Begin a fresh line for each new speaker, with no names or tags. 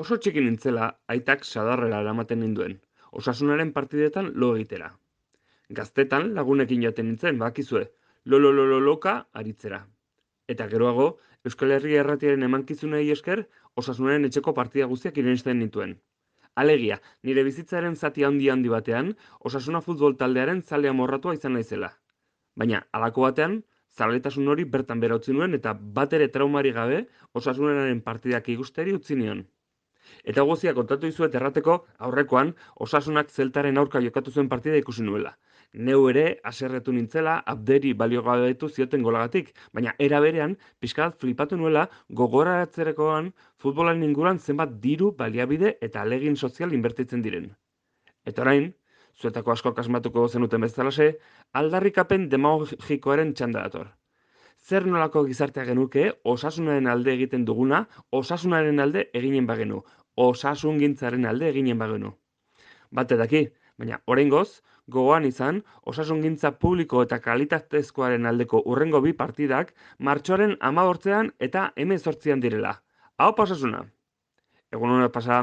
Oso txiki nintzela, aitak sadarrera eramaten ninduen, Osasunaren partidetan lo egitera. Gaztetan lagunekin joaten nintzen, bakizue, lololololoka aritzera. Eta geroago, Euskal Herria Erratiaren emankizunei esker, Osasunaren etxeko partida guztiak irensten nituen. Alegia, nire bizitzaren zati handi batean, Osasuna futbol taldearen zalea morratua izan naizela. Baina, halako batean, zaletasun hori bertan behera utzi nuen eta batere traumari gabe Osasunaren partidak ikusteri utzi nion. Eta guztia kontatu dizuet errateko aurrekoan Osasunak Zeltaren aurka jokatu zuen partida ikusi nuela. Neu ere haserretu nintzela Abderi baliogabetu zioten golagatik, baina era berean pixka bat flipatu nuela gogoratzerakoan futbolaren inguruan zenbat diru, baliabide eta ahalegin sozial inbertitzen diren. Eta orain, zuetako askok asmatuko zenuten bezalaxe, aldarrikapen demagogikoaren txanda dator. Zer nolako gizartea genuke Osasunaren alde egiten duguna, Osasunaren alde eginen bagenu, Osasungintzaren alde eginen bagenu. Bate daki, baina oraingoz, gogoan izan, Osasungintza publiko eta kalitatezkoaren aldeko hurrengo bi partidak martxoaren 18 eta 18 direla. Hau Osasuna! Egun hona pasa.